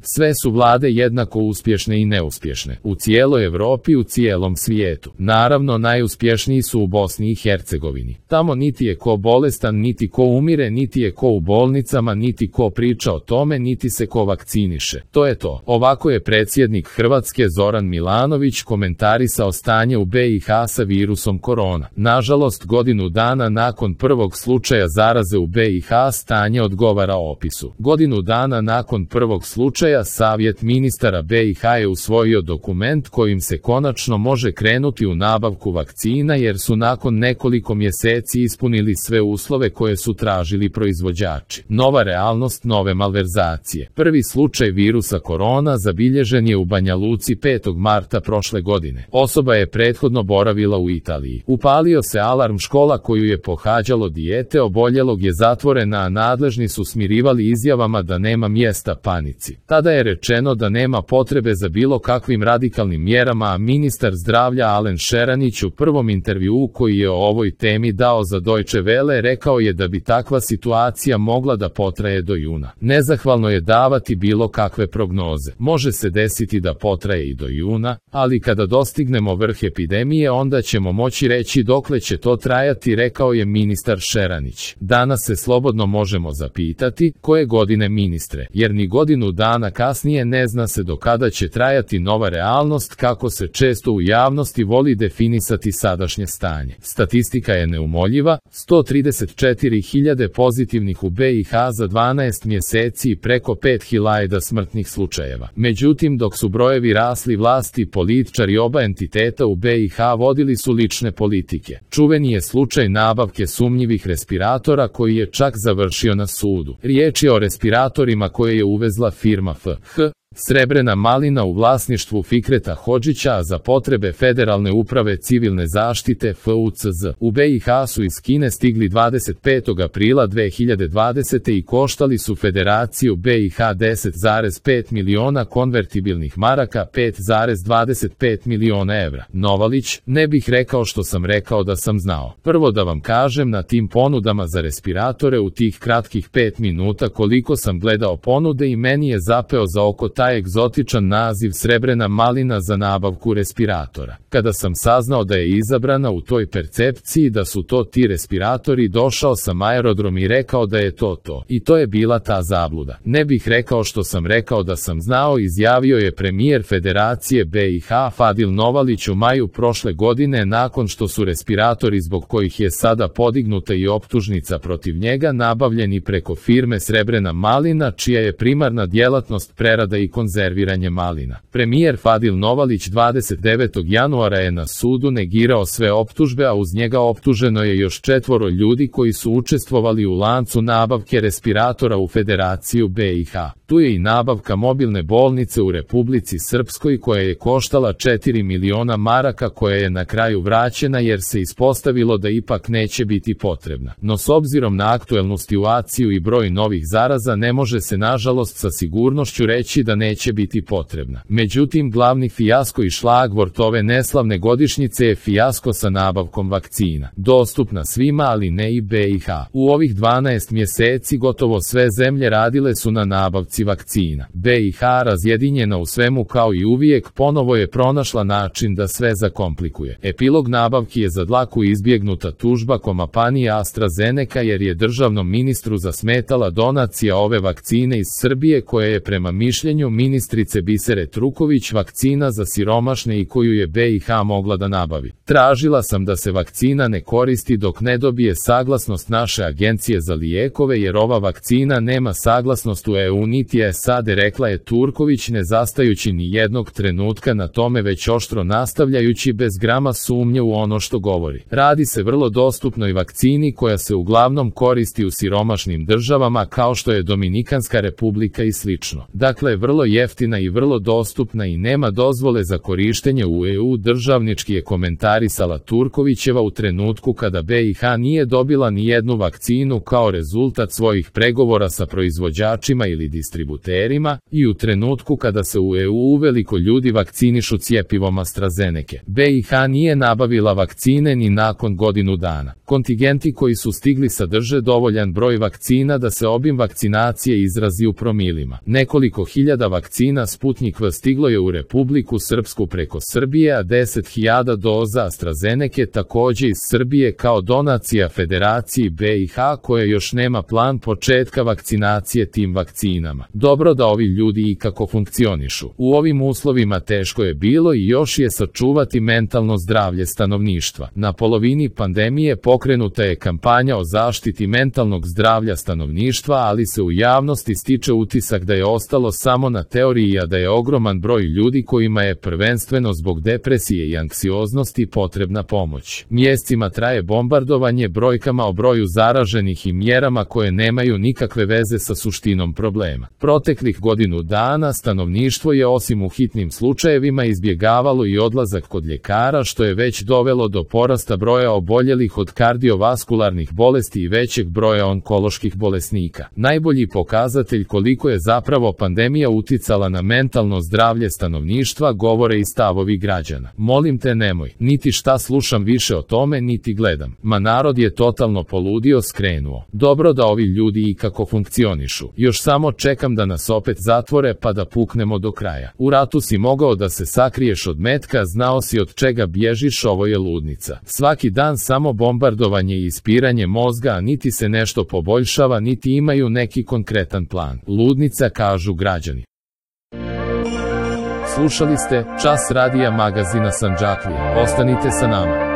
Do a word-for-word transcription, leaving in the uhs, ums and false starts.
Sve su vlade jednako uspješne i neuspješne. U cijeloj Europi, u cijelom svijetu. Naravno, najuspješniji su u Bosni i Hercegovini. Tamo niti je ko bolestan, niti ko umire, niti je ko u bolnicama, niti ko priča o tome, niti se ko vakciniše. To je to. Ovako je predsjednik Hrvatske Zoran Milanović komentarisao stanje u B i H sa virusom korona. Nažalost, godinu dana nakon prvog slučaja zaraze u B i H stanje odgovara opisu. Godinu dana nakon prvog slučaja Savjet ministara B i H je usvojio dokument kojim se konačno može krenuti u nabavku vakcina jer su nakon nekoliko mjeseci ispunili sve uslove koje su tražili proizvođači. Nova realnost, nove malverzacije. Prvi slučaj virusa korona zabilježen je u Banja Luci petog marta prošle godine. Osoba je prethodno boravila u Italiji. Upalio se alarm, škola koju je pohađalo dijete oboljelog je zatvorena, a nadležni su smirivali izjavama da nema mjesta panici. Tada je rečeno da nema potrebe za bilo kakvim radikalnim mjerama, a ministar zdravlja Alen Šeranić u prvom intervjuu koji je o ovoj temi dao za Deutsche Welle rekao je da bi takva situacija mogla da potraje do juna. Nezahvalno je davati bilo kakve prognoze. Može se desiti da potraje i do juna, ali kada dostignemo vrh epidemije onda ćemo moći reći dokle će to trajati, rekao je ministar Šeranić. Danas se slobodno možemo zapitati koje godine, ministre, jer ni godinu dana kasnije ne zna se do kada će trajati nova realnost, kako se često u javnosti voli definisati sadašnje stanje. Statistika je neumoljiva, sto trideset četiri hiljade pozitivnih u B i H za dvanaest mjeseci i preko pet hiljada smrtnih slučajeva. Međutim, dok su brojevi rasli, vlasti i političari oba entiteta u B i H vodili su lične politike. Čuveni je slučaj nabavke sumnjivih respiratora koji je čak završio na sudu. Riječ je o respiratorima koje je uvezla firma F H Srebrena malina u vlasništvu Fikreta Hodžića, a za potrebe Federalne uprave civilne zaštite F U C Z. U B i H su iz Kine stigli dvadeset petog aprila dve hiljade dvadesete. i koštali su Federaciju B i H deset zarez pet miliona konvertibilnih maraka, pet zarez dvadeset pet miliona evra. Novalić, ne bih rekao što sam rekao da sam znao. Prvo da vam kažem, na tim ponudama za respiratore u tih kratkih pet minuta koliko sam gledao ponude i meni je zapeo za oko taj egzotičan naziv Srebrena malina za nabavku respiratora. Kada sam saznao da je izabrana u toj percepciji da su to ti respiratori, došao sam aerodrom i rekao da je to to. I to je bila ta zabluda. Ne bih rekao što sam rekao da sam znao, izjavio je premijer Federacije B i H Fadil Novalić u maju prošle godine nakon što su respiratori zbog kojih je sada podignuta i optužnica protiv njega nabavljeni preko firme Srebrena malina, čija je primarna djelatnost prerada i konzerviranje malina. Premijer Fadil Novalić dvadeset devetog januara je na sudu negirao sve optužbe, a uz njega optuženo je još četvoro ljudi koji su učestvovali u lancu nabavke respiratora u Federaciju B i H. Tu je i nabavka mobilne bolnice u Republici Srpskoj koja je koštala četiri miliona maraka, koja je na kraju vraćena jer se ispostavilo da ipak neće biti potrebna. No s obzirom na aktuelnu situaciju i broj novih zaraza ne može se nažalost sa sigurnošću reći da neće biti potrebna. Međutim, glavni fijasko i šlagvort ove neslavne godišnjice je fijasko sa nabavkom vakcina. Dostupna svima, ali ne i B i H. U ovih dvanaest mjeseci gotovo sve zemlje radile su na nabavci vakcina. B i H, razjedinjena u svemu kao i uvijek, ponovo je pronašla način da sve zakomplikuje. Epilog nabavki je za dlaku izbjegnuta tužba kompanije AstraZeneca jer je državnom ministru zasmetala donacija ove vakcine iz Srbije koja je prema mišljenju ministrice Bisere Truković vakcina za siromašne i koju je B i H mogla da nabavi. Tražila sam da se vakcina ne koristi dok ne dobije saglasnost naše agencije za lijekove jer ova vakcina nema saglasnost u E U niti S A D, rekla je Turković, ne zastajući ni jednog trenutka na tome već oštro nastavljajući bez grama sumnje u ono što govori. Radi se vrlo dostupnoj vakcini koja se uglavnom koristi u siromašnim državama kao što je Dominikanska republika i slično. Dakle, vrlo jeftina i vrlo dostupna i nema dozvole za korištenje u E U, državnički je komentarisala Turkovićeva u trenutku kada B i H nije dobila ni jednu vakcinu kao rezultat svojih pregovora sa proizvođačima ili distributerima distributerima i u trenutku kada se u E U uveliko ljudi vakcinišu cjepivom AstraZeneca. B i H nije nabavila vakcine ni nakon godinu dana. Kontingenti koji su stigli sadrže dovoljan broj vakcina da se obim vakcinacije izrazi u promilima. Nekoliko hiljada vakcina Sputnik V stiglo je u Republiku Srpsku preko Srbije, a deset hiljada doza AstraZeneca takođe iz Srbije kao donacija Federaciji B i H koja još nema plan početka vakcinacije tim vakcinama. Dobro da ovi ljudi ikako funkcionišu. U ovim uslovima teško je bilo i još je sačuvati mentalno zdravlje stanovništva. Na polovini pandemije pokrenuta je kampanja o zaštiti mentalnog zdravlja stanovništva, ali se u javnosti stiče utisak da je ostalo samo na teoriji, a da je ogroman broj ljudi kojima je prvenstveno zbog depresije i anksioznosti potrebna pomoć. Mjesecima traje bombardovanje brojkama o broju zaraženih i mjerama koje nemaju nikakve veze sa suštinom problema. Proteklih godinu dana stanovništvo je osim u hitnim slučajevima izbjegavalo i odlazak kod ljekara, što je već dovelo do porasta broja oboljelih od kardiovaskularnih bolesti i većeg broja onkoloških bolesnika. Najbolji pokazatelj koliko je zapravo pandemija uticala na mentalno zdravlje stanovništva govore i stavovi građana. Molim te nemoj, niti šta slušam više o tome, niti gledam. Ma narod je totalno poludio, skrenuo. Dobro da ovi ljudi ikako funkcionišu. Još samo čekam da nas opet zatvore pa da puknemo do kraja. U ratu si mogao da se sakriješ od metka, znao si od čega bježiš, ovo je ludnica. Svaki dan samo bombardovanje i ispiranje mozga, a niti se nešto poboljšava, niti imaju neki konkretan plan. Ludnica, kažu građani. Slušali ste Čas radija magazina Sandžaklija. Ostanite sa nama.